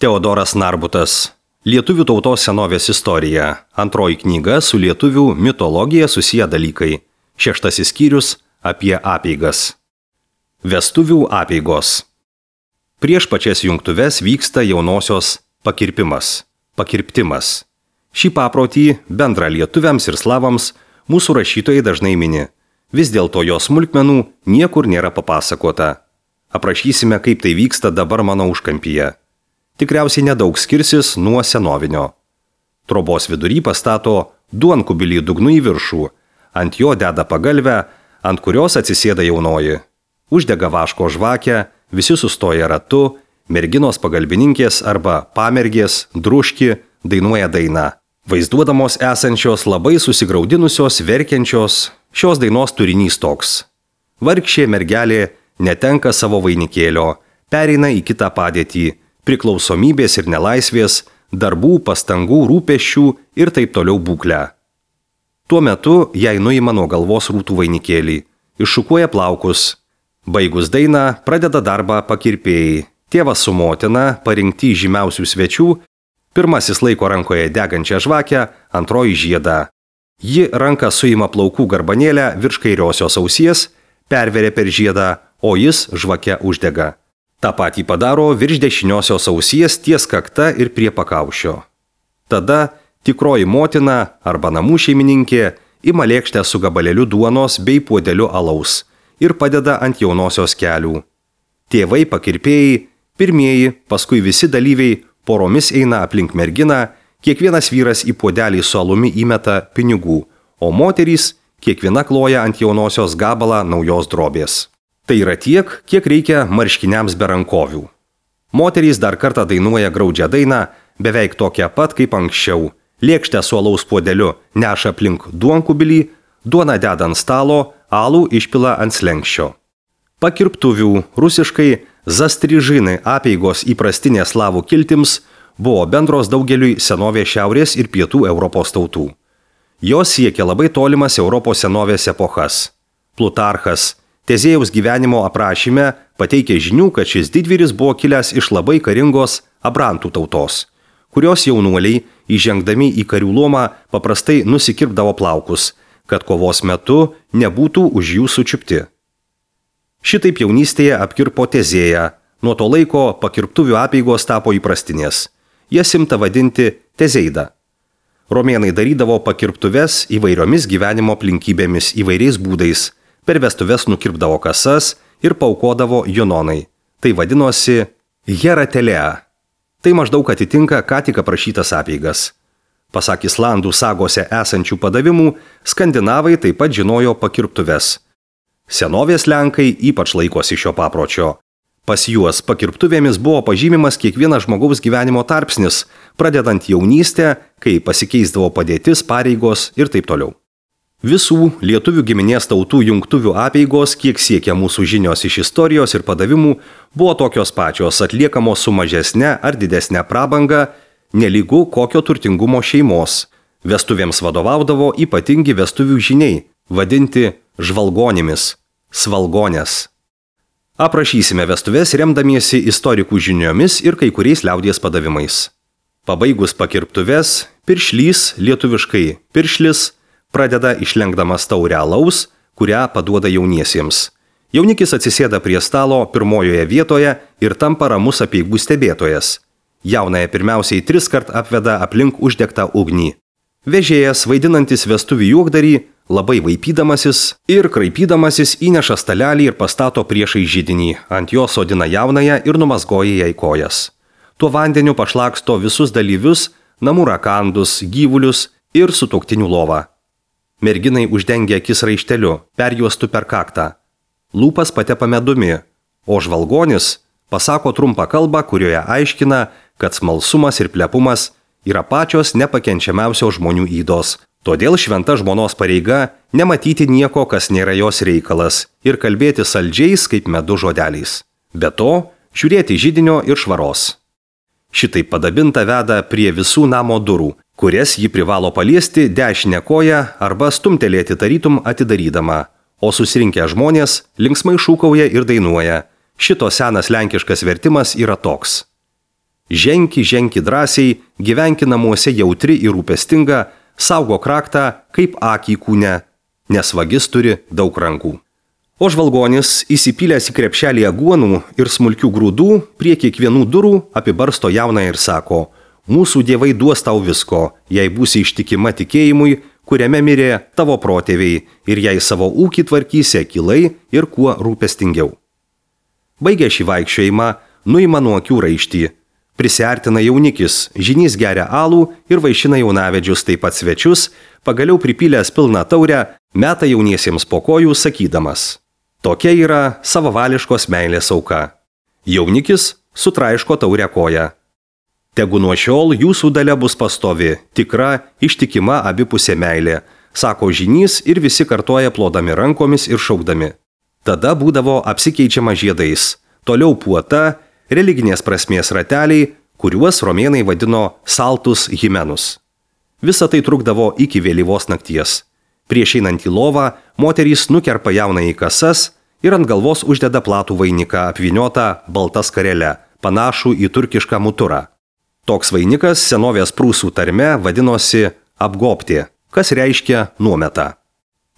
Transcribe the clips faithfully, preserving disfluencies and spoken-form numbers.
Teodoras Narbutas. Lietuvių tautos senovės istorija. Antroji knyga su lietuvių mitologija susiję dalykai. Šeštasis skyrius apie apeigas. Vestuvių apeigos. Prieš pačias jungtuves vyksta jaunosios pakirpimas, pakirptimas. Šį paprotį bendrą lietuviams ir slavams mūsų rašytojai dažnai mini. Vis dėlto jos smulkmenų niekur nėra papasakota. Aprašysime, kaip tai vyksta dabar mano užkampyje. Tikriausiai nedaug skirsis nuo senovinio. Trobos vidury pastato duonkubilį dugnu į viršų, ant jo deda pagalvę, ant kurios atsisėda jaunoji. Uždega vaško žvakę, visi sustoja ratu, merginos pagalbininkės arba pamergės, druški, dainuoja dainą. Vaizduodamos esančios labai susigraudinusios, verkiančios, šios dainos turinys toks. Vargšė mergelė netenka savo vainikėlio, pereina į kitą padėtį, priklausomybės ir nelaisvės, darbų, pastangų, rūpesčių ir taip toliau būklę. Tuo metu jai nuima nuo galvos rūtų vainikėlį, iššukuoja plaukus. Baigus dainą pradeda darbą pakirpėjai. Tėvas su motina, parinkti žymiausių svečių, pirmasis laiko rankoje degančią žvakę, antroji žiedą. Ji ranką suima plaukų garbanėlę virš kairiosios ausies, perveria per žiedą, o jis žvakę uždega. Ta patį padaro virš dešiniosios ausies ties kakta ir prie pakaušio. Tada tikroji motina arba namų šeimininkė ima lėkštę su gabalėliu duonos bei puodeliu alaus ir padeda ant jaunosios kelių. Tėvai pakirpėjai, pirmieji, paskui visi dalyviai poromis eina aplink merginą, kiekvienas vyras į puodelį su alumi įmeta pinigų, o moterys kiekviena kloja ant jaunosios gabalą naujos drobės. Tai yra tiek, kiek reikia marškiniams be rankovių. Moterys dar kartą dainuoja graudžią dainą, beveik tokią pat kaip anksčiau. Lėkštę su alaus puodeliu neša aplink duonkubilį, duoną deda ant stalo, alų išpila ant slenkščio. Pakirptuvių, rusiškai zastrižinai apeigos įprastinės slavų kiltims buvo bendros daugeliui senovės šiaurės ir pietų Europos tautų. Jos siekia labai tolimas Europos senovės epochas. Plutarchas Tezėjaus gyvenimo aprašyme pateikė žinių, kad šis didvyris buvo kilęs iš labai karingos abrantų tautos, kurios jaunuoliai, įžengdami į karių luomą, paprastai nusikirpdavo plaukus, kad kovos metu nebūtų už jų sučiupti. Šitaip jaunystėje apkirpo Tezėją, nuo to laiko pakirptuvių apeigos tapo įprastinės. Jas imta vadinti Tezeida. Romėnai darydavo pakirptuves įvairiomis gyvenimo aplinkybėmis įvairiais būdais. Per vestuves nukirpdavo kasas ir paukodavo junonai. Tai vadinosi hieratelea. Tai maždaug atitinka ką tik aprašytas apeigas. Pasak Islandų sagose esančių padavimų, skandinavai taip pat žinojo pakirptuves. Senovės lenkai ypač laikosi šio papročio. Pas juos pakirptuvėmis buvo pažymimas kiekvienas žmogaus gyvenimo tarpsnis, pradedant jaunystę, kai pasikeisdavo padėtis, pareigos ir taip toliau. Visų lietuvių giminės tautų jungtuvių apeigos, kiek siekia mūsų žinios iš istorijos ir padavimų, buvo tokios pačios, atliekamos su mažesne ar didesne prabanga, nelygu kokio turtingumo šeimos. Vestuvėms vadovaudavo ypatingi vestuvių žiniai, vadinti žvalgonimis, svalgonės. Aprašysime vestuves remdamiesi istorikų žiniomis ir kai kuriais liaudies padavimais. Pabaigus pakirptuves, piršlys, lietuviškai piršlis, pradeda išlenkdamas taurę alaus, kurią paduoda jauniesiems. Jaunikis atsisėda prie stalo pirmojoje vietoje ir tampa ramus apeigų stebėtojas. Jaunąją pirmiausiai tris kart apveda aplink uždegtą ugnį. Vežėjas, vaidinantis vestuvių juokdarį, labai vaipydamasis ir kraipydamasis įneša stalelį ir pastato priešai židinį, ant jo sodina jaunąją ir numazgoja jai kojas. Tuo vandeniu pašlaksto visus dalyvius, namų rakandus, gyvulius ir sutuoktinių lovą. Merginai uždengia akis raišteliu, perjuostu per kaktą. Lūpas patepa medumi, o žvalgonis pasako trumpą kalbą, kurioje aiškina, kad smalsumas ir plepumas yra pačios nepakenčiamiausios žmonių ydos. Todėl šventa žmonos pareiga nematyti nieko, kas nėra jos reikalas, ir kalbėti saldžiais kaip medų žodeliais. Be to, žiūrėti židinio ir švaros. Šitai padabinta veda prie visų namo durų, kurias ji privalo paliesti dešinę koją arba stumtelėti tarytum atidarydama, o susirinkę žmonės linksmai šūkauja ir dainuoja. Šito senas lenkiškas vertimas yra toks. Ženki, ženki drąsiai, gyvenki namuose jautri ir rūpestinga, saugo kraktą kaip akį kūne, nes vagis turi daug rankų. O žvalgonis, įsipylęs į krepšelį aguonų ir smulkių grūdų, prie kiekvienų durų apibarsto jauną ir sako: mūsų dievai duos tau visko, jei būsi ištikima tikėjimui, kuriame mirė tavo protėviai, ir jei savo ūkį tvarkysi akylai ir kuo rūpestingiau. Baigę šį vaikščiojimą, nuima nuo akių raištį. Prisiartina jaunikis, žynys geria alų ir vaišina jaunavedžius, taip pat svečius, pagaliau pripylęs pilną taurę, meta jauniesiems po kojų sakydamas: tokia yra savavališkos meilės auka. Jaunikis sutraiško taurę koją. Tegu nuo šiol jūsų dalia bus pastovi, tikra, ištikima abipusė meilė, sako žynys ir visi kartoja plodami rankomis ir šaukdami. Tada būdavo apsikeičiama žiedais, toliau puota, religinės prasmės rateliai, kuriuos romėnai vadino saltus himenus. Visa tai trukdavo iki vėlyvos nakties. Prieš einant į lovą, moterys nukerpa jauną į kasas ir ant galvos uždeda platų vainiką apvyniotą balta skarele, panašų į turkišką muturą. Toks vainikas senovės prūsų tarme vadinosi apgopti, kas reiškia nuometa.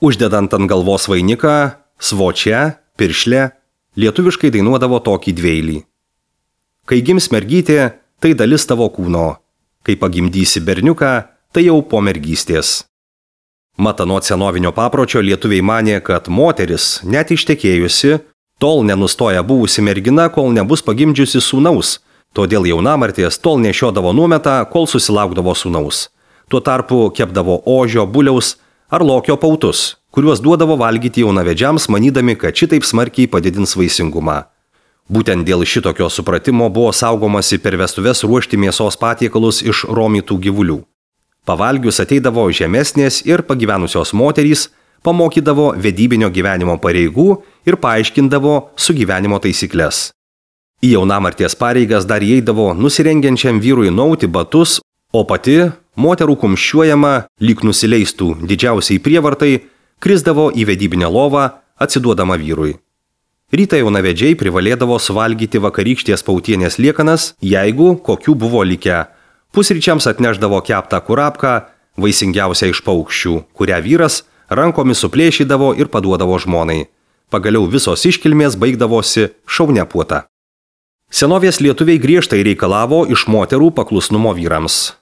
Uždedant ant galvos vainiką, svočia, piršlė, lietuviškai dainuodavo tokį dveilį. Kai gims mergytė, tai dalis tavo kūno. Kai pagimdysi berniuką, tai jau po mergystės. Mat anot senovinio papročio lietuviai manė, kad moteris, net ištekėjusi, tol nenustoja buvusi mergina, kol nebus pagimdžiusi sūnaus, todėl jaunamartės tol nešiodavo nuometą, kol susilaukdavo sūnaus. Tuo tarpu kepdavo ožio, buliaus ar lokio pautus, kuriuos duodavo valgyti jaunavedžiams, manydami, kad šitaip smarkiai padidins vaisingumą. Būtent dėl šitokio supratimo buvo saugomasi per vestuves ruošti mėsos patiekalus iš romytų gyvulių. Pavalgius ateidavo žemesnės ir pagyvenusios moterys, pamokydavo vedybinio gyvenimo pareigų ir paaiškindavo sugyvenimo taisyklės. Į jaunamarties pareigas dar įeidavo nusirengiančiam vyrui nauti batus, o pati, moterų kumščiuojama, lyg nusileistų didžiausiai prievartai, krisdavo į vedybinę lovą, atsiduodama vyrui. Rytą jaunavedžiai privalėdavo suvalgyti vakarykštės pautienės liekanas, jeigu kokių buvo likę. Pusryčiams atneždavo keptą kurapką, vaisingiausią iš paukščių, kurią vyras rankomis suplėšydavo ir paduodavo žmonai. Pagaliau visos iškilmės baigdavosi šaunia puota. Senovės lietuviai griežtai reikalavo iš moterų paklusnumo vyrams.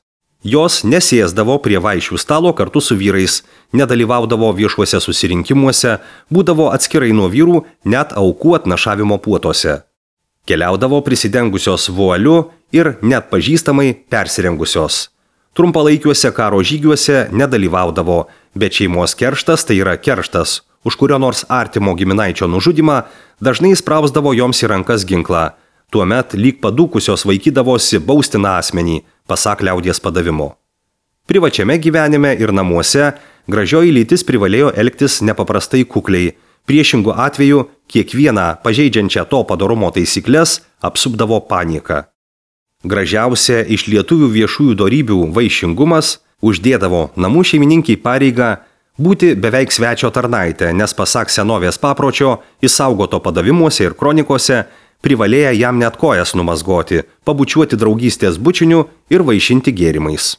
Jos nesėsdavo prie vaišių stalo kartu su vyrais, nedalyvaudavo viešuose susirinkimuose, būdavo atskirai nuo vyrų net aukų atnašavimo puotose. Keliaudavo prisidengusios vualiu ir net pažįstamai persirengusios. Trumpalaikiuose karo žygiuose nedalyvaudavo, bet šeimos kerštas, tai yra kerštas, už kurio nors artimo giminaičio nužudymą, dažnai sprausdavo joms į rankas ginklą. Tuomet lyg padūkusios vaikydavosi baustiną asmenį, pasak liaudies padavimo. Privačiame gyvenime ir namuose gražioji lytis privalėjo elgtis nepaprastai kukliai, priešingų atveju kiekvieną pažeidžiančią to padorumo taisyklės apsupdavo panika. Gražiausia iš lietuvių viešųjų dorybių vaišingumas uždėdavo namų šeimininkiai pareigą būti beveik svečio tarnaitė, nes pasak senovės papročio, išsaugoto padavimuose ir kronikose, privalėję jam net kojas numazgoti, pabučiuoti draugystės bučiniu ir vaišinti gėrimais.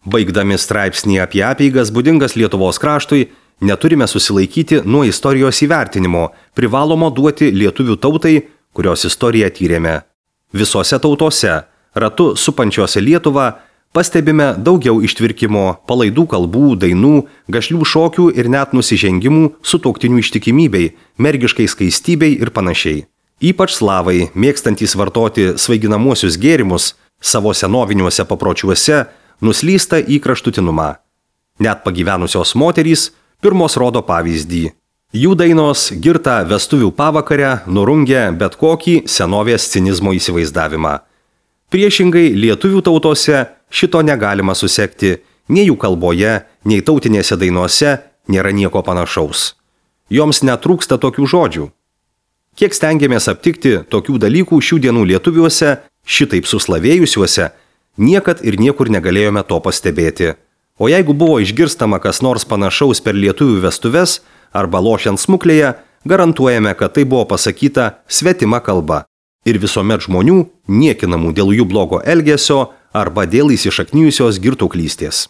Baigdami straipsnį apie apeigas būdingas Lietuvos kraštui, neturime susilaikyti nuo istorijos įvertinimo, privalomo duoti lietuvių tautai, kurios istoriją tyrėme. Visose tautose, ratu supančiose Lietuvą, pastebime daugiau ištvirkimo, palaidų kalbų, dainų, gašlių šokių ir net nusižengimų sutuoktinių ištikimybei, mergiškai skaistybei ir panašiai. Ypač slavai, mėgstantys vartoti svaiginamuosius gėrimus, savo senoviniuose papročiuose nuslysta į kraštutinumą. Net pagyvenusios moterys pirmos rodo pavyzdį. Jų dainos girtą vestuvių pavakarę nurungia bet kokį senovės cinizmo įsivaizdavimą. Priešingai lietuvių tautose šito negalima susekti, nei jų kalboje, nei tautinėse dainuose nėra nieko panašaus. Joms netrūksta tokių žodžių. Kiek stengiamės aptikti tokių dalykų šių dienų lietuviuose, šitaip suslavėjusiuose, niekad ir niekur negalėjome to pastebėti. O jeigu buvo išgirstama kas nors panašaus per lietuvių vestuves arba lošiant smuklėje, garantuojame, kad tai buvo pasakyta svetima kalba. ir visuomet žmonių niekinamų dėl jų blogo elgesio arba dėl įsišaknijusios girtuoklystės.